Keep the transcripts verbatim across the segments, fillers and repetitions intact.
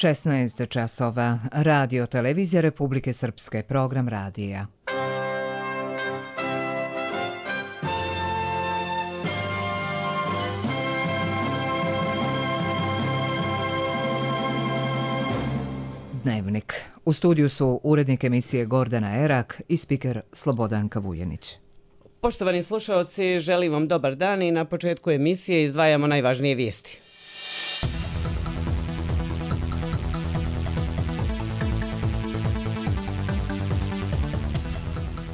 šesnaest časova. Radio Televizija Republike Srpske, program radija. Dnevnik. U studiju su urednik emisije Gordana Erak i spiker Slobodanka Vujenić. Poštovani slušalci, želim vam dobar dan i na početku emisije izdvajamo najvažnije vijesti.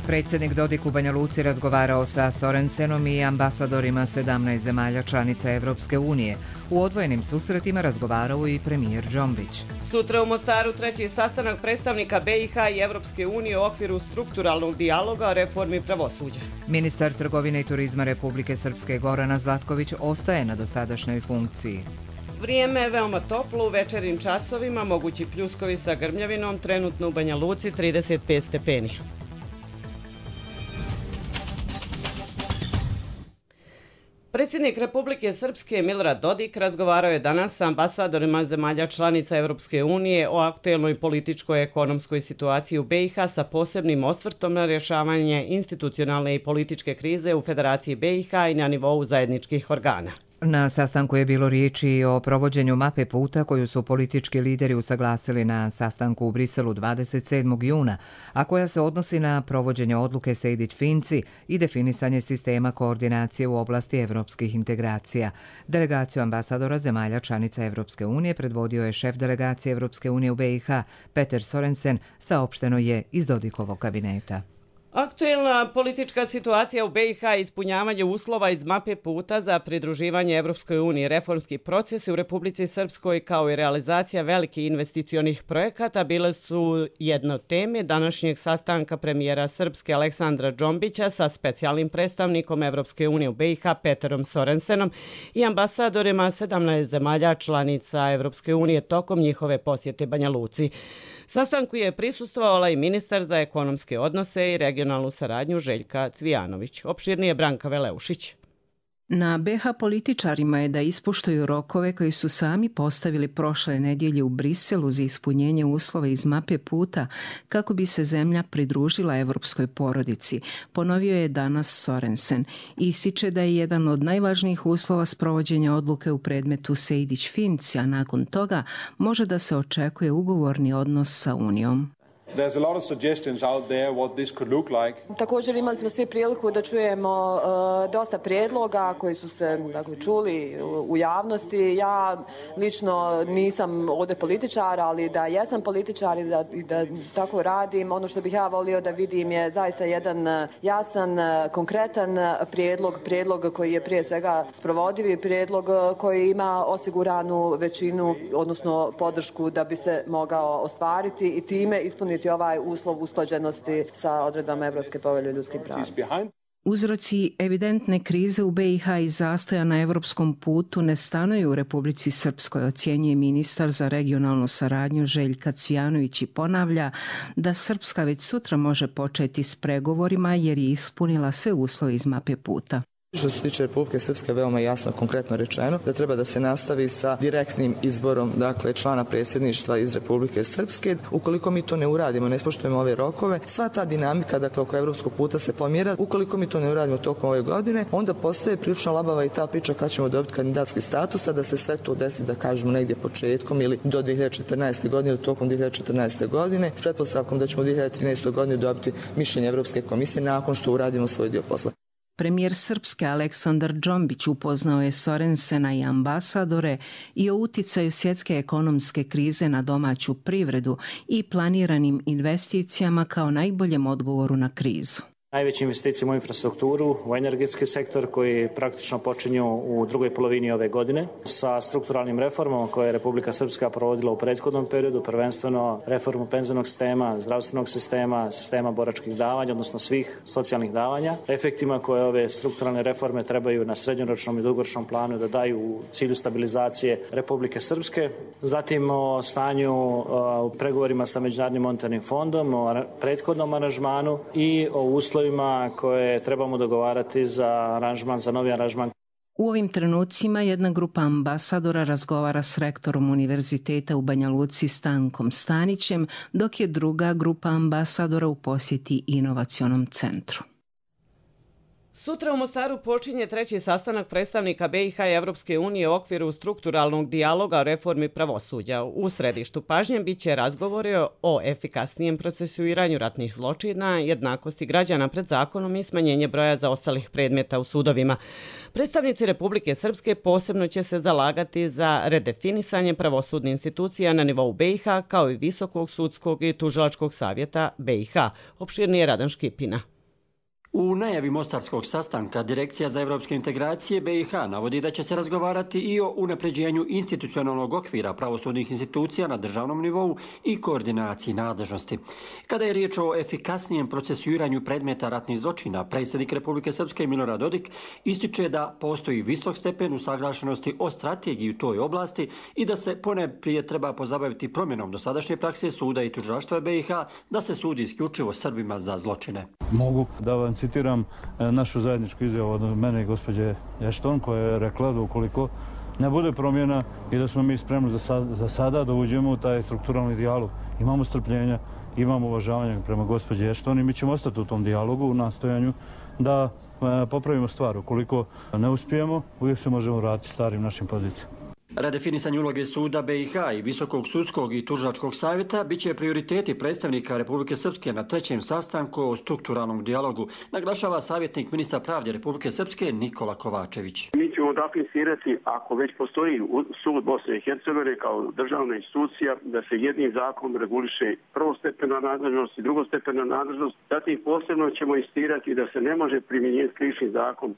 Predsjednik Dodik u Banja Luci razgovarao sa Sorensenom i ambasadorima sedamnaest zemalja članica Evropske unije. U odvojenim susretima razgovarao i premijer Džombić. Sutra u Mostaru treći sastanak predstavnika B i H i Evropske unije u okviru strukturalnog dijaloga o reformi pravosuđa. Ministar trgovine i turizma Republike Srpske Gorana Zlatković ostaje na dosadašnjoj funkciji. Vrijeme je veoma toplo u večernjim časovima, mogući pljuskovi sa grmljavinom, trenutno u Banja Luci trideset pet stepeni. Predsjednik Republike Srpske Milorad Dodik razgovarao je danas sa ambasadorima zemalja članica Evropske unije o aktuelnoj političkoj i ekonomskoj situaciji u B i H sa posebnim osvrtom na rješavanje institucionalne i političke krize u Federaciji B i H i na nivou zajedničkih organa. Na sastanku je bilo riječi o provođenju mape puta koju su politički lideri usaglasili na sastanku u Briselu dvadeset sedmog juna, a koja se odnosi na provođenje odluke Sejdić-Finci i definisanje sistema koordinacije u oblasti evropskih integracija. Delegaciju ambasadora zemalja članica Evropske unije predvodio je šef delegacije Evropske unije u B i H Peter Sorensen, saopšteno je iz Dodikovog kabineta. Aktuelna politička situacija u B i H i ispunjavanje uslova iz mape puta za pridruživanje Evropskoj uniji, reformski procesi u Republici Srpskoj kao i realizacija velikih investicionih projekata bile su jedna od teme današnjeg sastanka premijera Srpske Aleksandra Džombića sa specijalnim predstavnikom Evropske unije u B i H Peterom Sorensenom i ambasadorima sedamnaest zemalja članica Evropske unije tokom njihove posjete Banja Luci. Sastanku je prisustvovala i ministar za ekonomske odnose i regionalnu saradnju Željka Cvijanović. Opširnije Branka Veleušić. Na B H političarima je da ispoštuju rokove koji su sami postavili prošle nedjelje u Briselu za ispunjenje uslova iz mape puta kako bi se zemlja pridružila evropskoj porodici, ponovio je danas Sorensen. Ističe da je jedan od najvažnijih uslova sprovođenja odluke u predmetu Sejdić-Finci, a nakon toga može da se očekuje ugovorni odnos sa Unijom. There's a lot of suggestions out there what this could look like. Također imali smo svi priliku da čujemo uh, dosta prijedloga koji su se dakle, čuli u, u javnosti. Ja lično nisam ovdje političar, ali da jesam političar i da, i da tako radim. Ono što bih ja volio da vidim je zaista jedan jasan, konkretan prijedlog, prijedlog koji je prije svega sprovodivi, prijedlog koji ima osiguranu većinu, odnosno podršku da bi se mogao ostvariti i time ispuniti ovaj uslov usklađenosti sa odredbama Evropske povelje o ljudskim pravima. Uzroci evidentne krize u B i H i zastoja na evropskom putu ne stanuju u Republici Srpskoj, ocjenjuje ministar za regionalnu saradnju Željka Cvijanović i ponavlja da Srpska već sutra može početi s pregovorima jer je ispunila sve uslove iz mape puta. Što se tiče Republike Srpske, veoma jasno konkretno rečeno da treba da se nastavi sa direktnim izborom dakle člana predsjedništva iz Republike Srpske. Ukoliko mi to ne uradimo, ne ispoštujemo ove rokove, sva ta dinamika dakle oko evropskog puta se pomjera. Ukoliko mi to ne uradimo tokom ove godine, onda postaje prilično labava i ta priča kad ćemo dobiti kandidatski status, a da se sve to desi da kažemo negdje početkom ili do dvije hiljade četrnaeste. godine ili tokom dvije hiljade četrnaeste. godine s pretpostavkom da ćemo u dvije hiljade trinaeste. godine dobiti mišljenje Evropske komisije nakon što uradimo svoj dio posla. Premijer Srpske Aleksandar Džombić upoznao je Sorensena i ambasadore i o uticaju svjetske ekonomske krize na domaću privredu i planiranim investicijama kao najboljem odgovoru na krizu. Najveće investicije u infrastrukturu, u energetski sektor koji praktično počinju u drugoj polovini ove godine sa strukturalnim reformama koje je Republika Srpska provodila u prethodnom periodu, prvenstveno reformu penzionog sistema, zdravstvenog sistema, sistema boračkih davanja, odnosno svih socijalnih davanja, efektima koje ove strukturalne reforme trebaju na srednjoročnom i dugoročnom planu da daju u cilju stabilizacije Republike Srpske. Zatim o stanju u pregovorima sa Međunarodnim monetarnim fondom, o prethodnom aranžmanu i o uslovima koje trebamo dogovarati za aranžman, za novi aranžman. U ovim trenucima jedna grupa ambasadora razgovara s rektorom Univerziteta u Banja Luci Stankom Stanićem, dok je druga grupa ambasadora u posjeti inovacionom centru. Sutra u Mostaru počinje treći sastanak predstavnika B i H i Evropske unije u okviru strukturalnog dijaloga o reformi pravosuđa. U središtu pažnje bit će razgovori o efikasnijem procesuiranju ratnih zločina, jednakosti građana pred zakonom i smanjenje broja zaostalih predmeta u sudovima. Predstavnici Republike Srpske posebno će se zalagati za redefinisanje pravosudnih institucija na nivou B i H kao i Visokog sudskog i tužilačkog savjeta B i H. Opširnije Radan Škipina. U najavi mostarskog sastanka Direkcija za evropske integracije B i H navodi da će se razgovarati i o unapređenju institucionalnog okvira pravosudnih institucija na državnom nivou i koordinaciji nadležnosti. Kada je riječ o efikasnijem procesuiranju predmeta ratnih zločina, predsjednik Republike Srpske Milorad Dodik ističe da postoji visok stepen usaglašenosti o strategiji u toj oblasti i da se ponajprije treba pozabaviti promjenom dosadašnje prakse suda i tužilaštva B i H da se sudi isključivo Srbima za zločine. Mogu da vam citiram našu zajedničku izjavu od mene i gospođe Ešton koja je rekla da ukoliko ne bude promjena i da smo mi spremni za, sad, za sada da uđemo u taj strukturalni dijalog. Imamo strpljenja, imamo uvažavanja prema gospođe Ešton i mi ćemo ostati u tom dijalogu u nastojanju da e, popravimo stvar. Ukoliko ne uspijemo, uvijek se možemo vratiti starim našim pozicijama. Redefinisanje uloge suda B i H i Visokog sudskog i tužilačkog savjeta bit će prioriteti predstavnika Republike Srpske na trećem sastanku o strukturalnom dijalogu, naglašava savjetnik ministra pravde Republike Srpske Nikola Kovačević. Mi ćemo definisirati, ako već postoji sud Bosne i Hercegovine kao državna institucija, da se jednim zakonom reguliše prvostepena nadležnost i drugostepena nadležnost. Zatim posebno ćemo insistirati da se ne može primjenjivati krivični zakon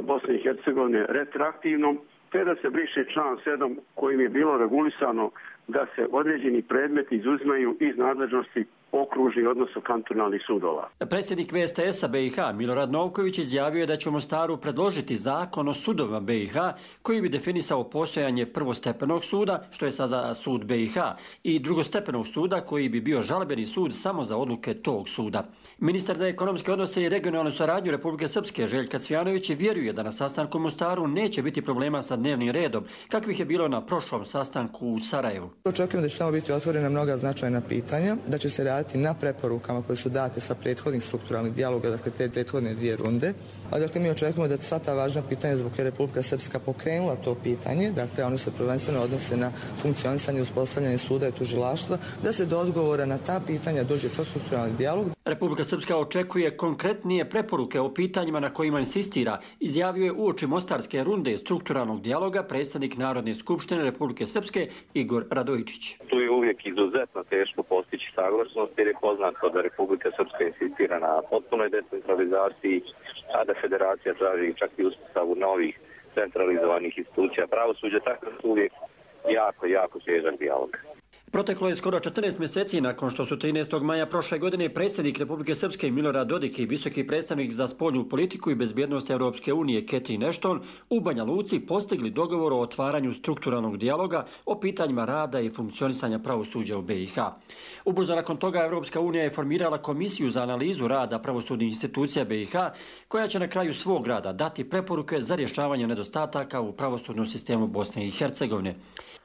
Bosne i Hercegovine retroaktivno, te da se briše član sedam kojim je bilo regulisano da se određeni predmeti izuzimaju iz nadležnosti okružnih, odnosno kantonalnih sudova. Predsjednik V S T S-a B i H Milorad Novković izjavio je da će u Mostaru predložiti zakon o sudovima B i H koji bi definisao postojanje prvostepenog suda, što je sada sud B i H, i drugostepenog suda koji bi bio žalbeni sud samo za odluke tog suda. Ministar za ekonomske odnose i regionalnu saradnju Republike Srpske Željka Cvjanović vjeruje da na sastanku u Mostaru neće biti problema sa dnevnim redom, kakvih je bilo na prošlom sastanku u Sarajevu. Očekujem da će tamo biti otvorena mnoga značajna pitanja, da će se raditi na preporukama koje su date sa prethodnih strukturalnih dijaloga, dakle te prethodne dvije runde. A dakle mi očekujemo da sva ta važna pitanja zbog koje Republika Srpska pokrenula to pitanje, dakle oni se prvenstveno odnose na funkcionisanje i uspostavljanje suda i tužilaštva, da se do odgovora na ta pitanja dođe kroz strukturalni dijalog. Republika Srpska očekuje konkretnije preporuke o pitanjima na kojima insistira, izjavio je uoči mostarske runde strukturalnog dijaloga predsjednik Narodne skupštine Republike Srpske Igor Radojičić. Tu je uvijek izuzetno teško postići saglasnost jer je poznato da Republika Srpska insistira na potpunoj decentralizaciji, a da federacija traži čak i uspostavu novih centralizovanih institucija pravosuđa, tako da su uvijek jako, jako težak dijalog. Proteklo je skoro četrnaest mjeseci nakon što su trinaestog maja prošle godine predsjednik Republike Srpske Milorad Dodik i visoki predstavnik za spoljnu politiku i bezbjednost Europske unije Catherine Ashton u Banja Luci postigli dogovor o otvaranju strukturalnog dijaloga o pitanjima rada i funkcionisanja pravosuđa u B i H. Ubrzo nakon toga Europska unija je formirala komisiju za analizu rada pravosudnih institucija B i H koja će na kraju svog rada dati preporuke za rješavanje nedostataka u pravosudnom sistemu Bosne i Hercegovine.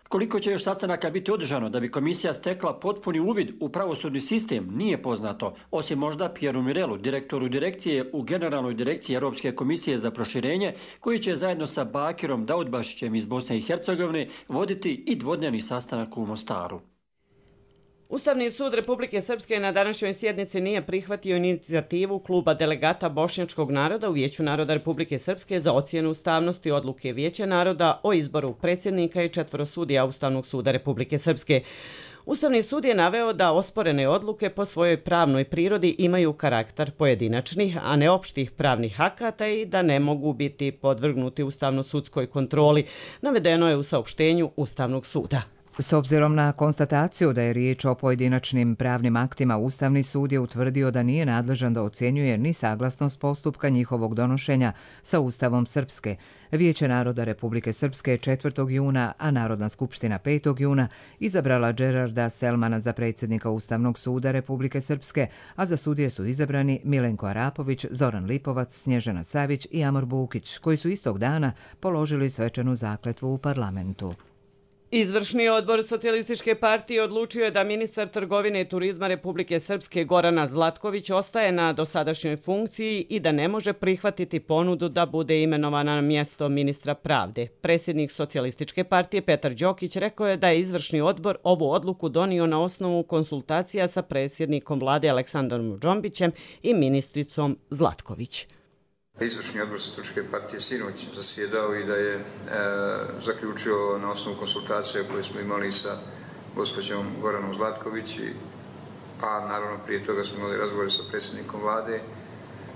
Koliko će još sastanaka biti održano da bi komisija stekla potpuni uvid u pravosudni sistem nije poznato, osim možda Pieru Mirelu, direktoru direkcije u Generalnoj direkciji Europske komisije za proširenje, koji će zajedno sa Bakirom Daudbašićem iz Bosne i Hercegovine voditi i dvodnevni sastanak u Mostaru. Ustavni sud Republike Srpske na današnjoj sjednici nije prihvatio inicijativu kluba delegata Bošnjačkog naroda u Vijeću naroda Republike Srpske za ocjenu ustavnosti odluke Vijeća naroda o izboru predsjednika i četvoro sudija Ustavnog suda Republike Srpske. Ustavni sud je naveo da osporene odluke po svojoj pravnoj prirodi imaju karakter pojedinačnih, a ne opštih pravnih akata i da ne mogu biti podvrgnuti ustavno-sudskoj kontroli, navedeno je u saopštenju Ustavnog suda. S obzirom na konstataciju da je riječ o pojedinačnim pravnim aktima, Ustavni sud je utvrdio da nije nadležan da ocjenjuje ni saglasnost postupka njihovog donošenja sa Ustavom Srpske. Vijeće naroda Republike Srpske četvrtog juna, a Narodna skupština petog juna izabrala Gerarda Selmana za predsjednika Ustavnog suda Republike Srpske, a za sudije su izabrani Milenko Arapović, Zoran Lipovac, Snježana Savić i Amor Bukić, koji su istog dana položili svečanu zakletvu u parlamentu. Izvršni odbor Socijalističke partije odlučio je da ministar trgovine i turizma Republike Srpske Gorana Zlatković ostaje na dosadašnjoj funkciji i da ne može prihvatiti ponudu da bude imenovana na mjesto ministra pravde. Predsjednik Socijalističke partije Petar Đokić rekao je da je izvršni odbor ovu odluku donio na osnovu konsultacija sa predsjednikom vlade Aleksandrom Džombićem i ministricom Zlatković. Izvršni odbor Socijalističke partije sinoć zasjedao i da je e, zaključio na osnovu konsultacija koje smo imali sa gospođom Goranom Zlatković, a naravno prije toga smo imali razgovore sa predsjednikom vlade,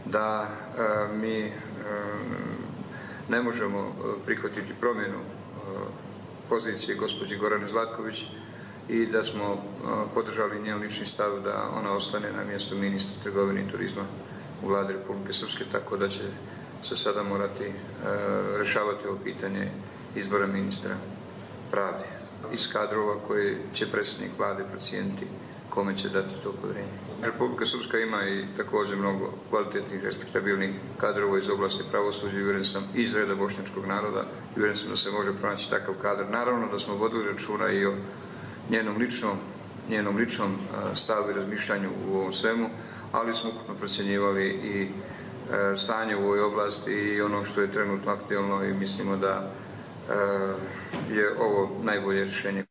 da e, mi e, ne možemo prihvatiti promjenu e, pozicije gospođe Gorane Zlatković i da smo e, podržali njen lični stav da ona ostane na mjestu ministra trgovine i turizma u vladi Republike Srpske, tako da će se sada morati e, rješavati ovo pitanje izbora ministra pravde iz kadrova koje će predsjednik vlade procijeniti kome će dati to povjerenje. Republika Srpska ima i također mnogo kvalitetnih, respektabilnih kadrova iz oblasti pravosuđa i uvjeren sam iz reda bošnjačkog naroda i uvjeren sam da se može pronaći takav kadar. Naravno da smo vodili računa i o njenom ličnom, njenom ličnom stavu i razmišljanju u ovom svemu, ali smo ukupno procjenjivali i e, stanje u ovoj oblasti i ono što je trenutno aktualno i mislimo da e, je ovo najbolje rješenje.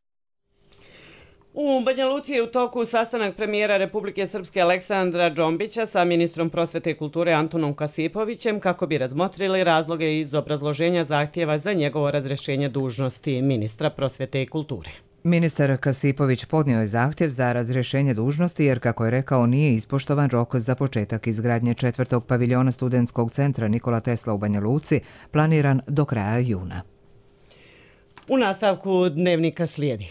U Banja Luci je u toku sastanak premijera Republike Srpske Aleksandra Džombića sa ministrom prosvete i kulture Antunom Kasipovićem kako bi razmotrili razloge iz obrazloženja zahtjeva za njegovo razrješenje dužnosti ministra prosvete i kulture. Ministar Kasipović podnio je zahtjev za razrješenje dužnosti jer, kako je rekao, nije ispoštovan rok za početak izgradnje četvrtog paviljona studentskog centra Nikola Tesla u Banja Luci, planiran do kraja juna. U nastavku dnevnika slijedi.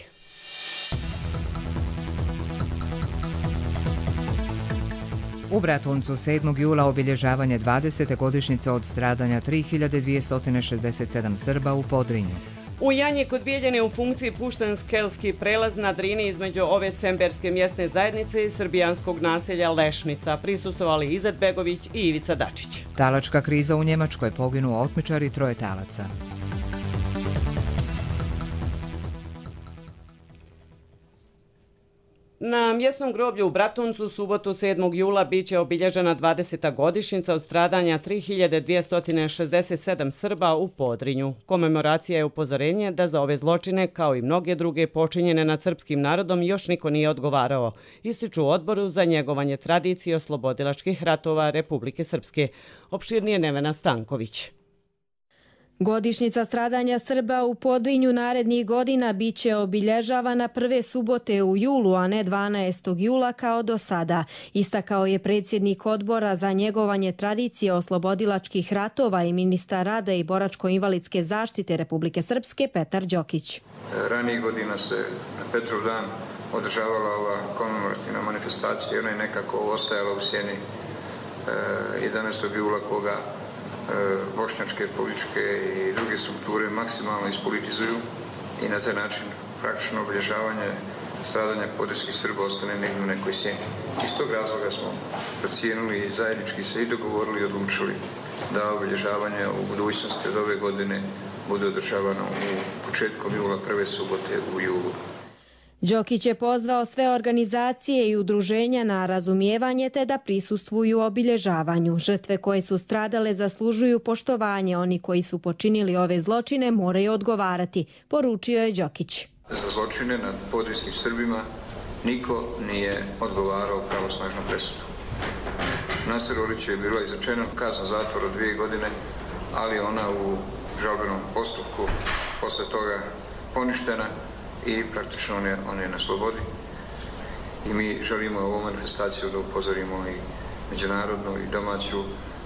U Bratuncu sedmog jula obilježavanje dvadesete godišnjice od stradanja tri hiljade dvjesto šezdeset sedam Srba u Podrinju. U Janji kod Bijeljine u funkciji pušten skelski prelaz na Drini između ove semberske mjesne zajednice i srbijanskog naselja Lešnica. Prisustvovali Izet Begović i Ivica Dačić. Talačka kriza u Njemačkoj, poginuo otmičar i troje talaca. Na mjesnom groblju u Bratuncu subotu sedmog jula biće obilježena dvadeseta godišnjica od stradanja tri hiljade dvjesto šezdeset sedam Srba u Podrinju. Komemoracija je upozorenje da za ove zločine, kao i mnoge druge počinjene nad srpskim narodom, još niko nije odgovarao, ističu u odboru za njegovanje tradicije oslobodilačkih ratova Republike Srpske. Opširnije Nevena Stanković. Godišnjica stradanja Srba u Podrinju narednih godina biće obilježavana prve subote u julu, a ne dvanaestog jula kao do sada, istakao je predsjednik odbora za njegovanje tradicije oslobodilačkih ratova i ministar rada i boračko-invalidske zaštite Republike Srpske Petar Đokić. Ranijih godina se na Petrov dan održavala ova komemorativna manifestacija, ona je nekako ostajala u sjeni jedanaestog jula koga bošnjačke, političke i druge strukture maksimalno ispolitizuju i na taj način praktično obilježavanje stradanja podrinskih Srba ostane negdje u nekoj sjeni. Iz tog razloga smo procijenili i zajednički se i dogovorili i odlučili da obilježavanje u budućnosti od ove godine bude održavano u početkom jula, prve subote u julu. Đokić je pozvao sve organizacije i udruženja na razumijevanje te da prisustvuju obilježavanju. Žrtve koje su stradale zaslužuju poštovanje, oni koji su počinili ove zločine moraju odgovarati, poručio je Đokić. Za zločine nad podrinskim Srbima niko nije odgovarao pravosnažno presudu. Nasir Oriću je bila izrečena kazna zatvora od dvije godine, ali ona u žalbenom postupku posle toga poništena i praktično on je, on je na slobodi. I mi želimo ovu manifestaciju da upozorimo i međunarodnu i domaću,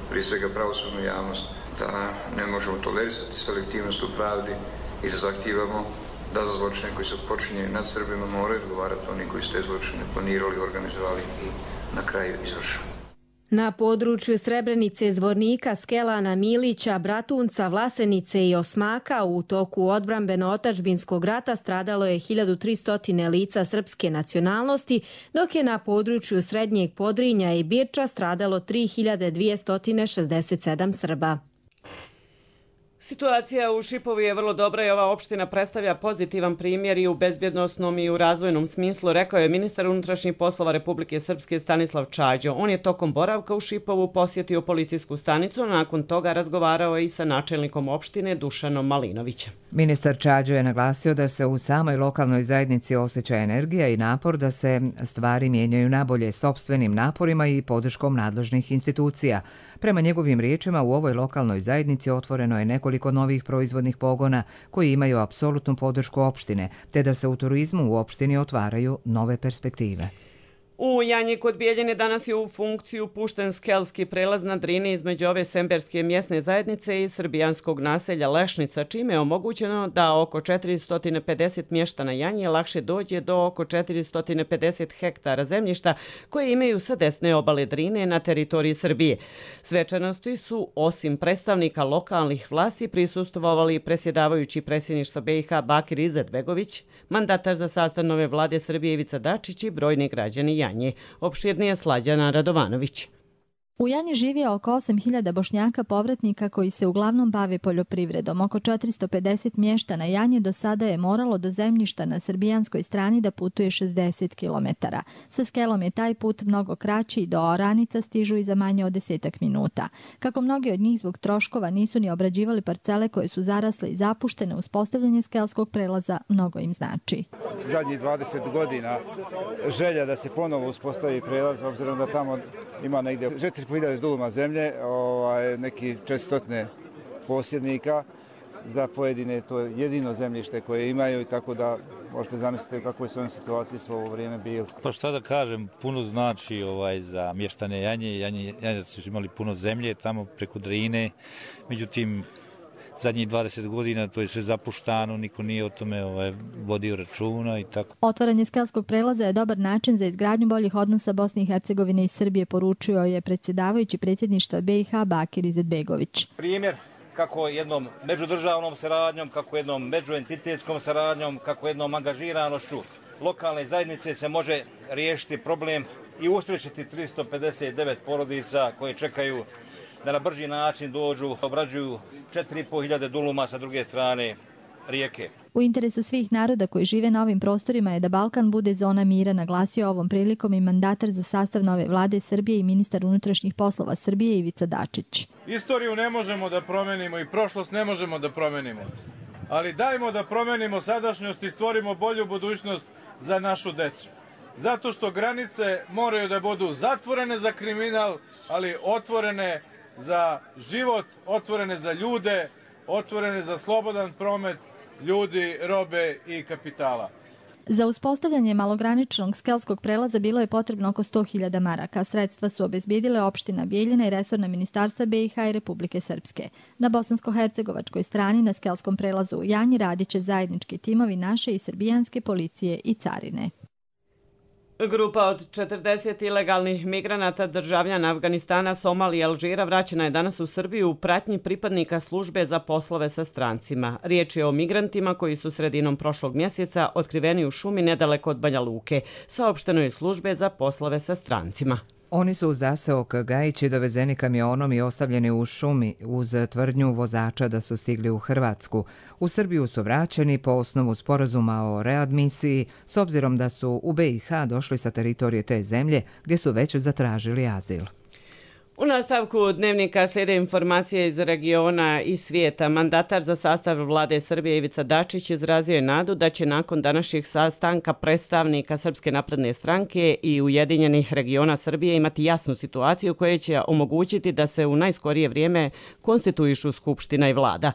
prije svega pravosudnu javnost, da ne možemo tolerisati selektivnost u pravdi i da zahtijevamo da za zločine koji su počinjeni nad Srbima moraju odgovarati oni koji su te zločine planirali, organizovali i na kraju izvršili. Na području Srebrenice, Zvornika, Skelana, Milića, Bratunca, Vlasenice i Osmaka u toku odbrambeno-otačbinskog rata stradalo je hiljadu tristo lica srpske nacionalnosti, dok je na području Srednjeg Podrinja i Birča stradalo tri hiljade dvjesto šezdeset sedam Srba. Situacija u Šipovu je vrlo dobra i ova opština predstavlja pozitivan primjer i u bezbjednosnom i u razvojnom smislu, rekao je ministar unutrašnjih poslova Republike Srpske Stanislav Čađo. On je tokom boravka u Šipovu posjetio policijsku stanicu, a nakon toga razgovarao i sa načelnikom opštine Dušanom Malinovićem. Ministar Čađo je naglasio da se u samoj lokalnoj zajednici osjeća energija i napor da se stvari mijenjaju nabolje sopstvenim naporima i podrškom nadležnih institucija. Prema njegovim riječima, u ovoj lokalnoj zajednici otvoreno je nekoliko novih proizvodnih pogona koji imaju apsolutnu podršku opštine, te da se u turizmu u opštini otvaraju nove perspektive. U Janji kod Bijeljine danas je u funkciju pušten skelski prelaz na Drini između ove semberske mjesne zajednice i srbijanskog naselja Lešnica, čime je omogućeno da oko četiristo pedeset mještana Janje lakše dođe do oko četiristo pedeset hektara zemljišta koje imaju sa desne obale Drine na teritoriji Srbije. Svečanosti su, osim predstavnika lokalnih vlasti, prisustvovali presjedavajući predsjedništva B i H Bakir Izetbegović, mandatar za sastav nove vlade Srbije Ivica Dačić i brojni građani Janje. Opširnije Slađana Radovanović. U Janji živi oko osam hiljada Bošnjaka povratnika koji se uglavnom bave poljoprivredom. Oko četiristo pedeset mještana Janje do sada je moralo do zemljišta na srbijanskoj strani da putuje šezdeset kilometara. Sa Skelom je taj put mnogo kraći i do oranica stižu i za manje od desetak minuta. Kako mnogi od njih zbog troškova nisu ni obrađivali parcele koje su zarasle i zapuštene, uspostavljanje skelskog prelaza mnogo im znači. Zadnjih dvadeset godina želja da se ponovo uspostavi prelaz, obzirom da tamo ima negdje četiri hiljade duluma zemlje, ovaj, neki četiristo posjednika, za pojedine to je jedino zemljište koje imaju i tako da možete zamisliti kako je s ovim situaciji svo ovo vrijeme bilo. Pa šta da kažem, puno znači ovaj, za mještane Janje. Janje, Janje su imali puno zemlje tamo preko Drine, međutim zadnjih dvadeset godina to je sve zapuštano, niko nije o tome ovaj, vodio računa i tako. Otvaranje skelskog prelaza je dobar način za izgradnju boljih odnosa Bosne i Hercegovine i Srbije, poručio je predsjedavajući predsjedništva B i H Bakir Izetbegović. Primjer kako jednom međudržavnom saradnjom, kako jednom međuentitetskom saradnjom, kako jednom angažiranošću lokalne zajednice se može riješiti problem i usrećiti tristo pedeset devet porodica koje čekaju da na brži način dođu, obrađuju četiri i po hiljade duluma sa druge strane rijeke. U interesu svih naroda koji žive na ovim prostorima je da Balkan bude zona mira, naglasio ovom prilikom i mandatar za sastav nove vlade Srbije i ministar unutrašnjih poslova Srbije Ivica Dačić. Istoriju ne možemo da promenimo i prošlost ne možemo da promenimo, ali dajmo da promenimo sadašnjost i stvorimo bolju budućnost za našu decu. Zato što granice moraju da budu zatvorene za kriminal, ali otvorene za život, otvorene za ljude, otvorene za slobodan promet ljudi, robe i kapitala. Za uspostavljanje malograničnog skelskog prelaza bilo je potrebno oko sto hiljada maraka. Sredstva su obezbijedile opština Bijeljina i resorna ministarstva B i H i Republike Srpske. Na bosansko-hercegovačkoj strani na skelskom prelazu u Janji radit će zajednički timovi naše i srbijanske policije i carine. Grupa od četrdeset ilegalnih migranata državljana Afganistana, Somalije i Alžira vraćena je danas u Srbiju u pratnji pripadnika službe za poslove sa strancima. Riječ je o migrantima koji su sredinom prošlog mjeseca otkriveni u šumi nedaleko od Banja Luke, saopšteno je službe za poslove sa strancima. Oni su u zaseok Gajići dovezeni kamionom i ostavljeni u šumi uz tvrdnju vozača da su stigli u Hrvatsku. U Srbiju su vraćeni po osnovu sporazuma o readmisiji, s obzirom da su u B i H došli sa teritorije te zemlje gdje su već zatražili azil. U nastavku dnevnika slijede informacije iz regiona i svijeta. Mandatar za sastav vlade Srbije Ivica Dačić izrazio je nadu da će nakon današnjih sastanka predstavnika Srpske napredne stranke i Ujedinjenih regiona Srbije imati jasnu situaciju koja će omogućiti da se u najskorije vrijeme konstituišu Skupština i vlada.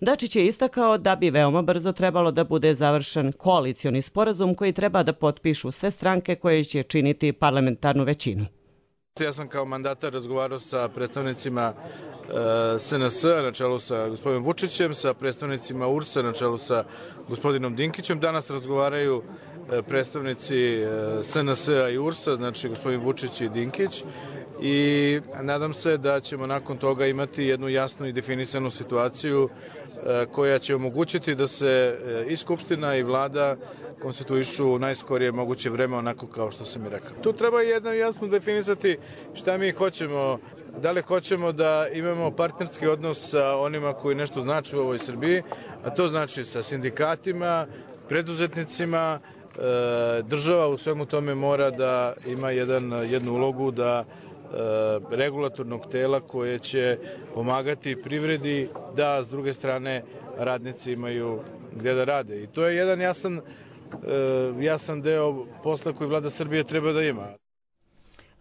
Dačić je istakao da bi veoma brzo trebalo da bude završen koalicioni sporazum koji treba da potpišu sve stranke koje će činiti parlamentarnu većinu. Ja sam kao mandatar razgovarao sa predstavnicima e, S N S-a na čelu sa gospodinom Vučićem, sa predstavnicima U R S-a na čelu sa gospodinom Dinkićem. Danas razgovaraju e, predstavnici e, S N S-a i U R S-a, znači gospodin Vučić i Dinkić. I nadam se da ćemo nakon toga imati jednu jasnu i definisanu situaciju e, koja će omogućiti da se e, i Skupština i Vlada konstituišu u najskorije moguće vreme, onako kao što sam i rekao. Tu treba jedno jasno definisati šta mi hoćemo, da li hoćemo da imamo partnerski odnos sa onima koji nešto znači u ovoj Srbiji, a to znači sa sindikatima, preduzetnicima, država u svemu tome mora da ima jedan, jednu ulogu da regulatornog tela koje će pomagati privredi da s druge strane radnici imaju gde da rade. I to je jedan jasan jasan deo posla koji vlada Srbije treba da ima.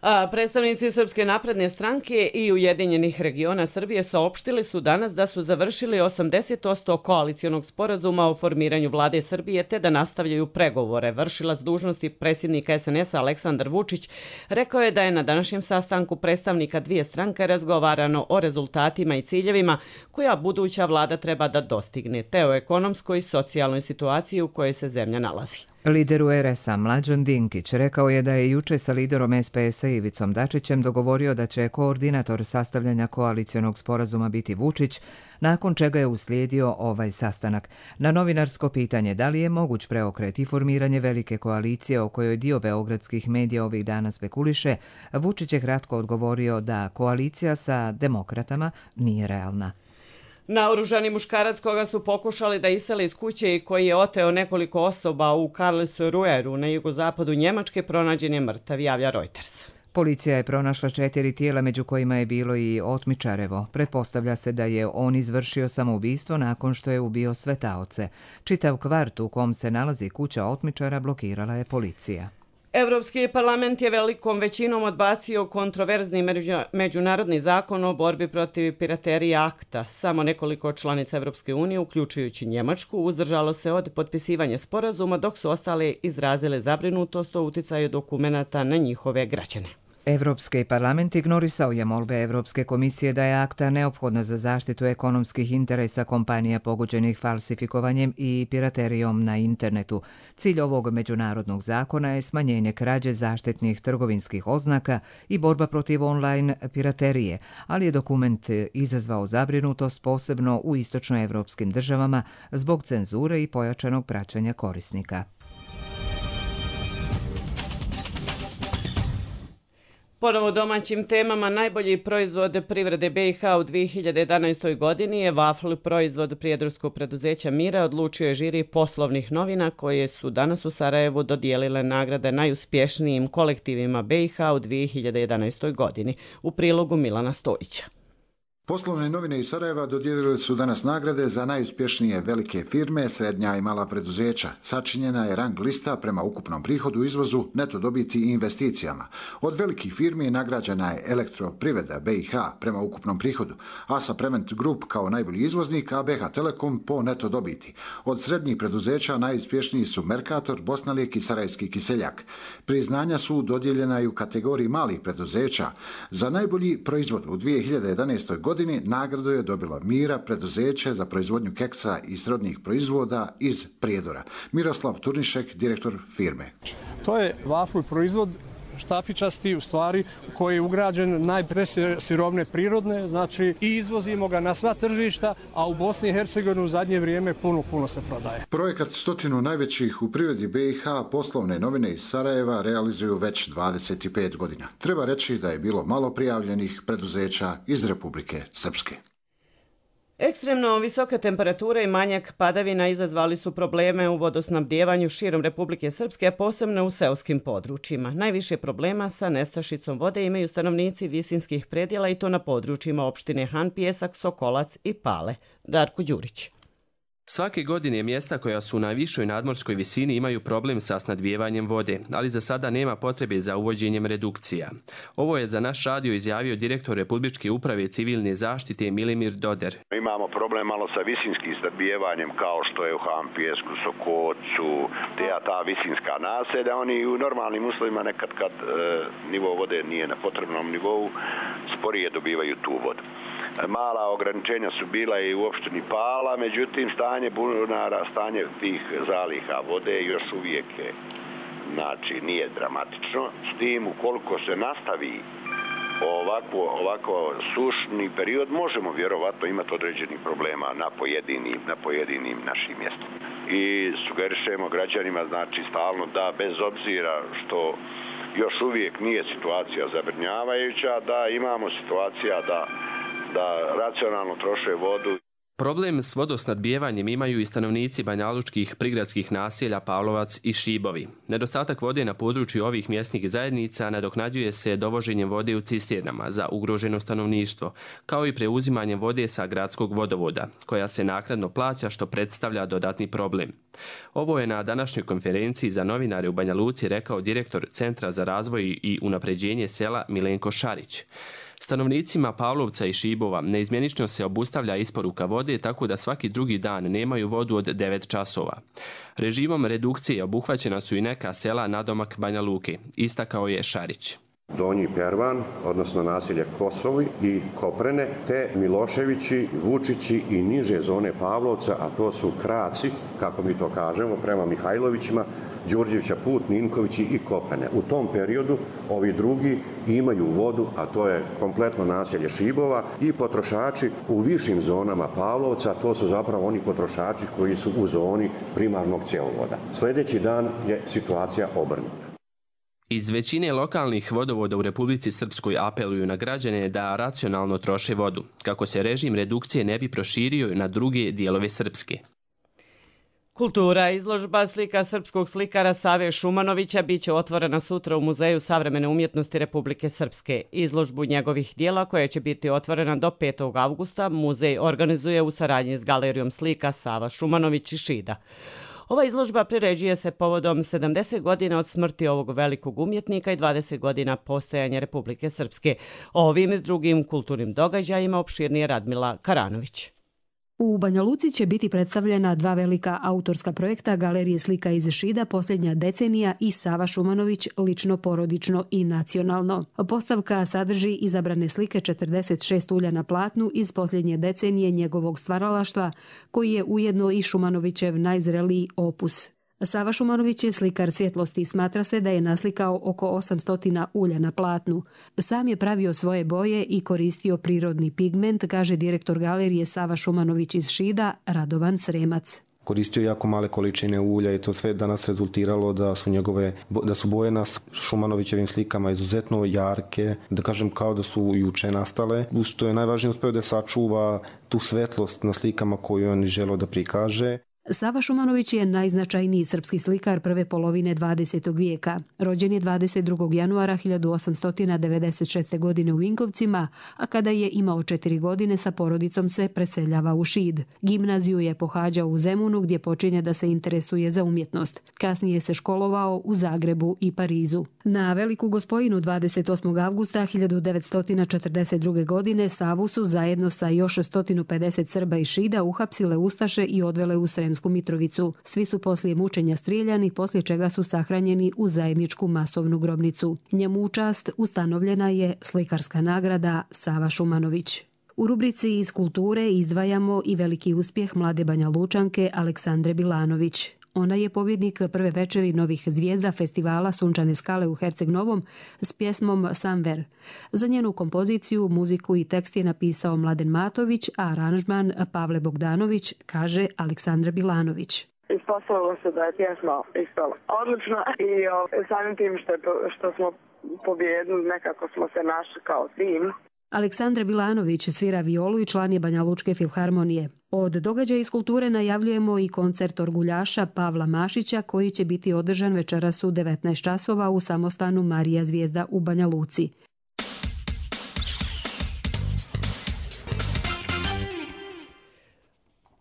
A predstavnici Srpske napredne stranke i Ujedinjenih regiona Srbije saopštili su danas da su završili osamdeset posto koalicionog sporazuma o formiranju vlade Srbije te da nastavljaju pregovore. Vršilac dužnosti predsjednika S N S-a Aleksandar Vučić rekao je da je na današnjem sastanku predstavnika dvije stranke razgovarano o rezultatima i ciljevima koja buduća vlada treba da dostigne, te o ekonomskoj i socijalnoj situaciji u kojoj se zemlja nalazi. Lider U R S-a Mlađan Dinkić rekao je da je juče sa liderom S P S-a Ivicom Dačićem dogovorio da će koordinator sastavljanja koalicionog sporazuma biti Vučić, nakon čega je uslijedio ovaj sastanak. Na novinarsko pitanje da li je moguć preokret i formiranje velike koalicije o kojoj dio beogradskih medija ovih dana spekuliše, Vučić je kratko odgovorio da koalicija sa demokratama nije realna. Naoružani muškarac koga su pokušali da isele iz kuće i koji je oteo nekoliko osoba u Karlsruheru na jugozapadu Njemačke pronađen je mrtav, javlja Reuters. Policija je pronašla četiri tijela, među kojima je bilo i otmičarevo. Pretpostavlja se da je on izvršio samoubistvo nakon što je ubio sve taoce. Čitav kvart u kom se nalazi kuća otmičara blokirala je policija. Evropski parlament je velikom većinom odbacio kontroverzni međunarodni zakon o borbi protiv piraterije akta. Samo nekoliko članica Evropske unije, uključujući Njemačku, uzdržalo se od potpisivanja sporazuma, dok su ostale izrazile zabrinutost o uticaju dokumenata na njihove građane. Evropski parlament ignorisao je molbe Evropske komisije da je akta neophodna za zaštitu ekonomskih interesa kompanija pogođenih falsifikovanjem i piraterijom na internetu. Cilj ovog međunarodnog zakona je smanjenje krađe zaštitnih trgovinskih oznaka i borba protiv online piraterije, ali je dokument izazvao zabrinutost posebno u istočnoevropskim državama zbog cenzure i pojačanog praćenja korisnika. Ponovo domaćim temama, najbolji proizvod privrede B i H u dvije hiljade jedanaestoj godini je vafl, proizvod prijedorskog preduzeća Mira, odlučio je žiri poslovnih novina koje su danas u Sarajevu dodijelile nagrade najuspješnijim kolektivima B i H u dvije hiljade jedanaestoj godini. U prilogu Milana Stojića. Poslovne novine iz Sarajeva dodijelile su danas nagrade za najuspješnije velike firme, srednja i mala preduzeća. Sačinjena je rang lista prema ukupnom prihodu, izvozu, neto dobiti i investicijama. Od velikih firmi nagrađena je Elektroprivreda B i H prema ukupnom prihodu, Asa Prement Group kao najbolji izvoznik, a B H Telekom po neto dobiti. Od srednjih preduzeća najuspješniji su Mercator, Bosnalijek i Sarajevski Kiseljak. Priznanja su dodijeljena i u kategoriji malih preduzeća. Za najbolji proizvod u dvije hiljade jedanaestoj godini godini nagradu je dobila Mira, preduzeće za proizvodnju keksa i srodnih proizvoda iz Prijedora. Miroslav Turnišek, direktor firme. To je vafl proizvod štapičasti, u stvari, koji je ugrađen najpre sirovne prirodne, znači i izvozimo ga na sva tržišta, a u Bosni i Hercegovini u zadnje vrijeme puno, puno se prodaje. Projekat stotinu najvećih u privredi B i H poslovne novine iz Sarajeva realizuju već dvadeset pet godina. Treba reći da je bilo malo prijavljenih preduzeća iz Republike Srpske. Ekstremno visoke temperature i manjak padavina izazvali su probleme u vodosnabdjevanju širom Republike Srpske, a posebno u seoskim područjima. Najviše problema sa nestašicom vode imaju stanovnici visinskih predjela i to na područjima opštine Han, Pijesak, Sokolac i Pale. Darko Đurić. Svake godine mjesta koja su na višoj nadmorskoj visini imaju problem sa snadbijevanjem vode, ali za sada nema potrebe za uvođenjem redukcija. Ovo je za naš radio izjavio direktor Republičke uprave civilne zaštite Milimir Doder. Imamo problem malo sa visinskim snadbijevanjem kao što je u Hampijesku, Sokocu, te ta visinska naselja. Oni u normalnim uslovima nekad kad e, nivo vode nije na potrebnom nivou, sporije dobivaju tu vodu. Mala ograničenja su bila i u opštini Pala, međutim stanje bunara, stanje tih zaliha vode još uvijek je, znači nije dramatično. S tim ukoliko se nastavi ovako, ovako sušni period, možemo vjerovatno imati određenih problema na pojedinim, na pojedinim našim mjestima. I sugerišemo građanima, znači stalno da bez obzira što još uvijek nije situacija zabrinjavajuća, da imamo situacija da da racionalno troše vodu. Problem s vodosnadbijevanjem imaju i stanovnici banjalučkih prigradskih naselja Pavlovac i Šibovi. Nedostatak vode na području ovih mjesnih zajednica nadoknađuje se dovoženjem vode u cisternama za ugroženo stanovništvo, kao i preuzimanjem vode sa gradskog vodovoda, koja se naknadno plaća što predstavlja dodatni problem. Ovo je na današnjoj konferenciji za novinare u Banja Luci rekao direktor Centra za razvoj i unapređenje sela Milenko Šarić. Stanovnicima Pavlovca i Šibova neizmjenično se obustavlja isporuka vode tako da svaki drugi dan nemaju vodu od devet časova. Režimom redukcije obuhvaćena su i neka sela nadomak Banja Luke, istakao je Šarić. Donji Pervan, odnosno naselje Kosovi i Koprene, te Miloševići, Vučići i niže zone Pavlovca, a to su Kraci, kako mi to kažemo, prema Mihajlovićima, Đurđevića Put, Ninkovići i Koprene. U tom periodu ovi drugi imaju vodu, a to je kompletno naselje Šibova, i potrošači u višim zonama Pavlovca, to su zapravo oni potrošači koji su u zoni primarnog cjevovoda. Sljedeći dan je situacija obrnuta. Iz većine lokalnih vodovoda u Republici Srpskoj apeluju na građane da racionalno troše vodu, kako se režim redukcije ne bi proširio na druge dijelove Srpske. Kultura, izložba slika srpskog slikara Save Šumanovića biće otvorena sutra u Muzeju savremene umjetnosti Republike Srpske. Izložbu njegovih dijela, koja će biti otvorena do petog avgusta, muzej organizuje u saradnji s Galerijom slika Sava Šumanović i Šida. Ova izložba priređuje se povodom sedamdeset godina od smrti ovog velikog umjetnika i dvadeset godina postojanja Republike Srpske. O ovim i drugim kulturnim događajima opširnije Radmila Karanović. U Banja Luci će biti predstavljena dva velika autorska projekta Galerije slika iz Šida Posljednja decenija i Sava Šumanović lično, porodično i nacionalno. Postavka sadrži izabrane slike četrdeset šest ulja na platnu iz posljednje decenije njegovog stvaralaštva, koji je ujedno i Šumanovićev najzreliji opus. Sava Šumanović je slikar svjetlosti i smatra se da je naslikao oko osamsto ulja na platnu. Sam je pravio svoje boje i koristio prirodni pigment, kaže direktor galerije Sava Šumanović iz Šida, Radovan Sremac. Koristio jako male količine ulja i to sve danas rezultiralo da su njegove, da su boje na Šumanovićevim slikama izuzetno jarke, da kažem kao da su juče nastale. Što je najvažnije, uspeo da sačuva tu svetlost na slikama koju on želeo da prikaže. Sava Šumanović je najznačajniji srpski slikar prve polovine dvadesetog vijeka. Rođen je dvadeset drugog januara hiljadu osamsto devedeset šeste. godine u Vinkovcima, a kada je imao četiri godine sa porodicom se preseljava u Šid. Gimnaziju je pohađao u Zemunu gdje počinje da se interesuje za umjetnost. Kasnije se školovao u Zagrebu i Parizu. Na Veliku Gospojinu dvadeset osmog avgusta hiljadu devetsto četrdeset druge. godine Savu su zajedno sa još sto pedeset Srba i Šida uhapsile ustaše i odvele u Sremsku Mitrovicu. Svi su poslije mučenja strijeljani, poslije čega su sahranjeni u zajedničku masovnu grobnicu. Njemu u čast ustanovljena je slikarska nagrada Sava Šumanović. U rubrici iz kulture izdvajamo i veliki uspjeh mlade Banja Lučanke Aleksandre Bilanović. Ona je pobjednik prve večeri novih zvijezda festivala Sunčane skale u Herceg Novom s pjesmom Samver. Za njenu kompoziciju, muziku i tekst je napisao Mladen Matović, a aranžman Pavle Bogdanović, kaže Aleksandra Bilanović. Ispostavilo se da je pjesma ispala odlična i o, samim tim što, je, što smo pobjedili, nekako smo se našli kao tim. Aleksandra Bilanović svira violu i član je Banja Lučke filharmonije. Od događaja iz kulture najavljujemo i koncert orguljaša Pavla Mašića koji će biti održan večeras u devetnaest časova u samostanu Marija Zvijezda u Banja Luci.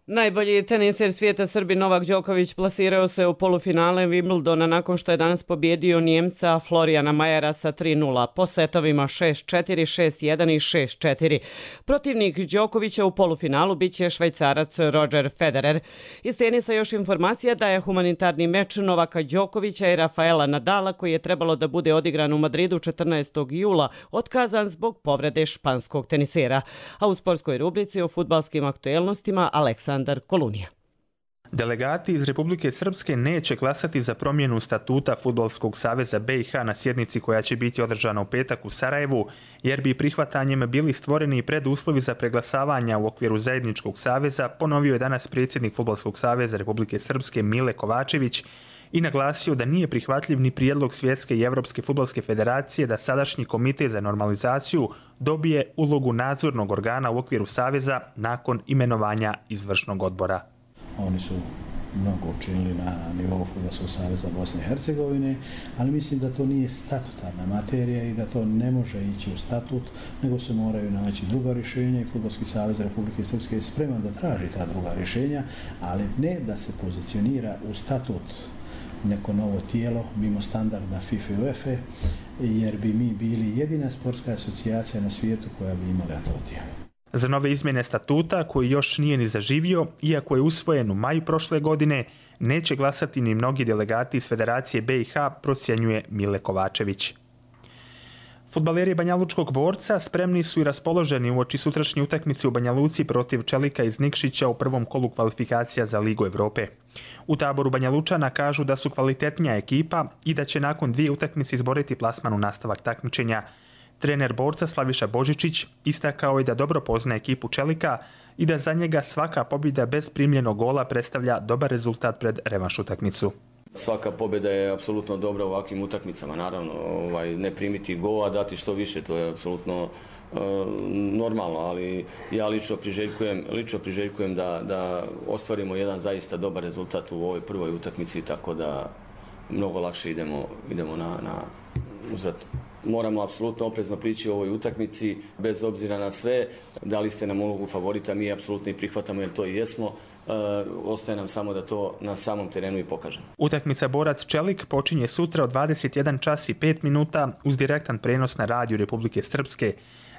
Najbolji teniser svijeta Srbi Novak Đoković plasirao se u polufinale Wimbledona nakon što je danas pobjedio Njemca Florijana Majera sa tri nula po setovima šest četiri, šest jedan i šest četiri. Protivnik Đokovića u polufinalu biće Švajcarac Roger Federer. Iz tenisa još informacija da je humanitarni meč Novaka Đokovića i Rafaela Nadala, koji je trebalo da bude odigran u Madridu četrnaestog jula, otkazan zbog povrede španskog tenisera. A u sportskoj rubrici o fudbalskim aktuelnostima Aleksandar Kolunija. Delegati iz Republike Srpske neće glasati za promjenu statuta Fudbalskog saveza B i H na sjednici koja će biti održana u petak u Sarajevu, jer bi prihvatanjem bili stvoreni preduslovi za preglasavanja u okviru zajedničkog saveza, ponovio je danas predsjednik Fudbalskog saveza Republike Srpske Mile Kovačević i naglasio da nije prihvatljiv ni prijedlog Svjetske i Evropske fudbalske federacije da sadašnji komitet za normalizaciju dobije ulogu nadzornog organa u okviru saveza nakon imenovanja izvršnog odbora. Oni su mnogo učinili na nivou Fudbalskog saveza Bosne i Hercegovine, ali mislim da to nije statutarna materija i da to ne može ići u statut, nego se moraju naći druga rješenja i Fudbalski savez Republike Srpske je spreman da traži ta druga rješenja, ali ne da se pozicionira u statut neko novo tijelo mimo standarda FIFA i UEFA, jer bi mi bili jedina sportska asocijacija na svijetu koja bi imala to tijelo. Za nove izmjene statuta, koji još nije ni zaživio, iako je usvojen u maju prošle godine, neće glasati ni mnogi delegati iz Federacije B i H, procjenjuje Mile Kovačević. Fudbaleri Banjalučkog Borca spremni su i raspoloženi uoči sutrašnje utakmice u Banja Luci protiv Čelika iz Nikšića u prvom kolu kvalifikacija za Ligu Evrope. U taboru Banjalučana kažu da su kvalitetnija ekipa i da će nakon dvije utakmice izboriti plasman u nastavak takmičenja. Trener Borca Slaviša Božičić istakao je da dobro pozna ekipu Čelika i da za njega svaka pobjeda bez primljenog gola predstavlja dobar rezultat pred revanš utakmicu. Svaka pobjeda je apsolutno dobra u ovakvim utakmicama, naravno, ovaj, ne primiti gol, a dati što više, to je apsolutno e, normalno, ali ja lično priželjkujem, lično priželjkujem da, da ostvarimo jedan zaista dobar rezultat u ovoj prvoj utakmici, tako da mnogo lakše idemo, idemo na, na uzvrat. Moramo apsolutno oprezno prići u ovoj utakmici, bez obzira na sve. Dali ste nam ulogu favorita, mi apsolutno i prihvatamo jer to i jesmo. E, ostaje nam samo da to na samom terenu i pokažemo. Utakmica Borac Čelik počinje sutra od dvadeset jedan čas i pet minuta uz direktan prenos na radiju Republike Srpske.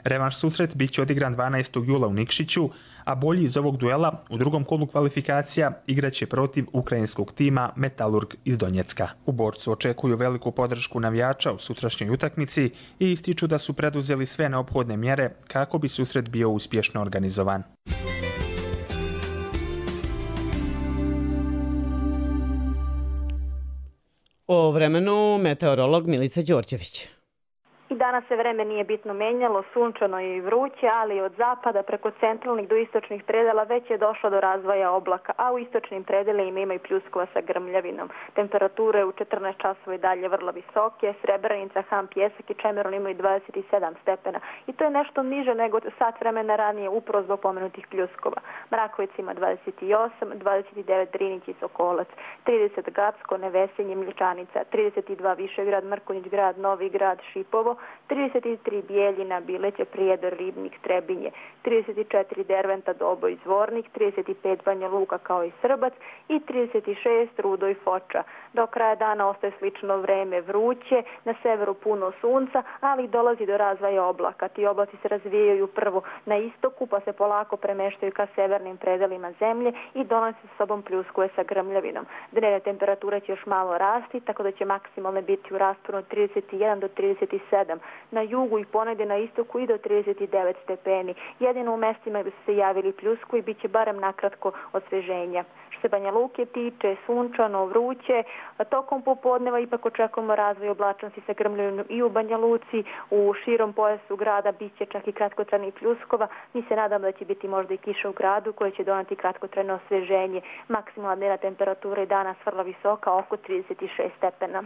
Revanš susret bit će odigran dvanaestog jula u Nikšiću, a bolji iz ovog duela u drugom kolu kvalifikacija igraće protiv ukrajinskog tima Metalurg iz Donjecka. U Borcu očekuju veliku podršku navijača u sutrašnjoj utakmici i ističu da su preduzeli sve neophodne mjere kako bi susret bio uspješno organizovan. O vremenu meteorolog Milica Đorđević. I danas se vreme nije bitno menjalo, sunčano je i vruće, ali od zapada preko centralnih do istočnih predela već je došlo do razvoja oblaka, a u istočnim predelima ima i pljuskova sa grmljavinom. Temperature u četrnaest časova i dalje vrlo visoke, Srebrenica, Han, Pjesak i Čemeron imaju dvadeset sedam stepena i to je nešto niže nego sat vremena ranije upravo zbog pomenutih pljuskova. Mrakovic ima dvadeset osam, dvadeset devet Drinić i Sokolac, trideset Gacko, Nevesinje, Mlječanica, trideset dva Višegrad, Mrkonjić grad, Novi grad, Šipovo, trideset tri Bijeljina, Bileće, Prijedor, Ribnik, Trebinje, trideset četiri Derventa, Doboj, Zvornik, trideset pet Banja Luka kao i Srbac i trideset šest Rudo i Foča. Do kraja dana ostaje slično vreme, vruće, na severu puno sunca, ali dolazi do razvoja oblaka. Ti oblaci se razvijaju prvo na istoku, pa se polako premeštaju ka severnim predelima zemlje i donose sa sobom pljuskove sa grmljavinom. Dnevne temperature će još malo rasti, tako da će maksimalne biti u rasponu od trideset jedan do trideset sedam. Na jugu i ponegdje na istoku i do trideset devet stepeni. Jedino u mestima gdje su se javili pljusku i bit će barem nakratko osveženja. Što se Banja Luke tiče, sunčano, vruće, tokom popodneva ipak očekujemo razvoj oblačnosti sa grmljavinom i u Banja Luci, u širom pojasu grada bit će čak i kratkotrajnih pljuskova. Mi se nadamo da će biti možda i kiša u gradu koja će donati kratkotrajno osveženje. Maksimalna dnevna temperatura je danas vrlo visoka, oko trideset šest stepena.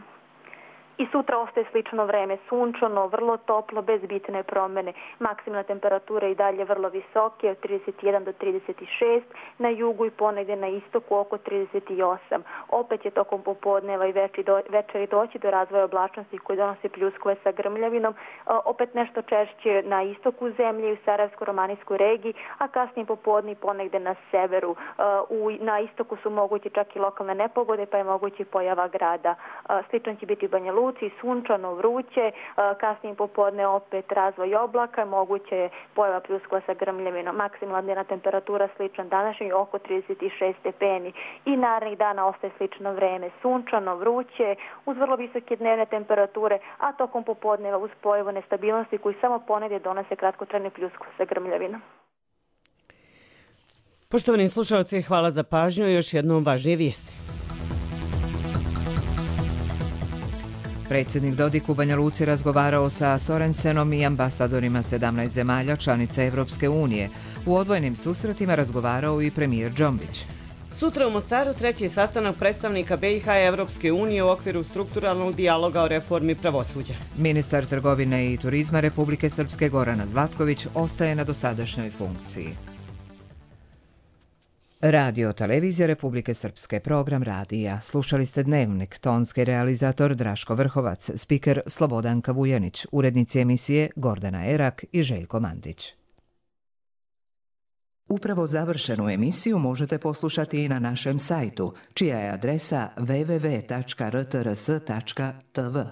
I sutra ostaje slično vreme, sunčano, vrlo toplo, bez bitne promjene. Maksimalna temperatura i dalje vrlo visoke, od trideset jedan do trideset šest, na jugu i ponegdje na istoku oko trideset osam. Opet je tokom popodneva i večeri doći do razvoja oblačnosti koji donose pljuskove sa grmljavinom, opet nešto češće na istoku zemlje i u Sarajevsko-romanijskoj regiji, a kasnije popodne ponegdje na severu. Na istoku su mogući čak i lokalne nepogode, pa je mogući pojava grada. Slično će biti u Banja Luci, sunčano, vruće, kasnije popodne opet razvoj oblaka, moguće je pojava pljuskova sa grmljavinom. Maksimalna dnevna temperatura slična današnjoj oko trideset šest stepeni i narednih dana ostaje slično vreme, sunčano, vruće, uz vrlo visoke dnevne temperature, a tokom popodneva uz pojavu nestabilnosti koji samo ponedje donose kratkotrajne pljuskove sa grmljavinom. Poštovani slušalci, hvala za pažnju i još jednom važnije vijesti. Predsjednik Dodik u Banja Luci razgovarao sa Sorensenom i ambasadorima sedamnaest zemalja članica Evropske unije. U odvojenim susretima razgovarao i premijer Džombić. Sutra u Mostaru treći sastanak predstavnika B i H i Evropske unije u okviru strukturalnog dijaloga o reformi pravosuđa. Ministar trgovine i turizma Republike Srpske Gorana Zlatković ostaje na dosadašnjoj funkciji. Radio Televizija Republike Srpske, program radija. Slušali ste Dnevnik, tonski realizator Draško Vrhovac, spiker Slobodanka Vujanić, urednici emisije Gordana Erak i Željko Mandić. Upravo završenu emisiju možete poslušati i na našem sajtu, čija je adresa w w w tačka r t r s tačka t v.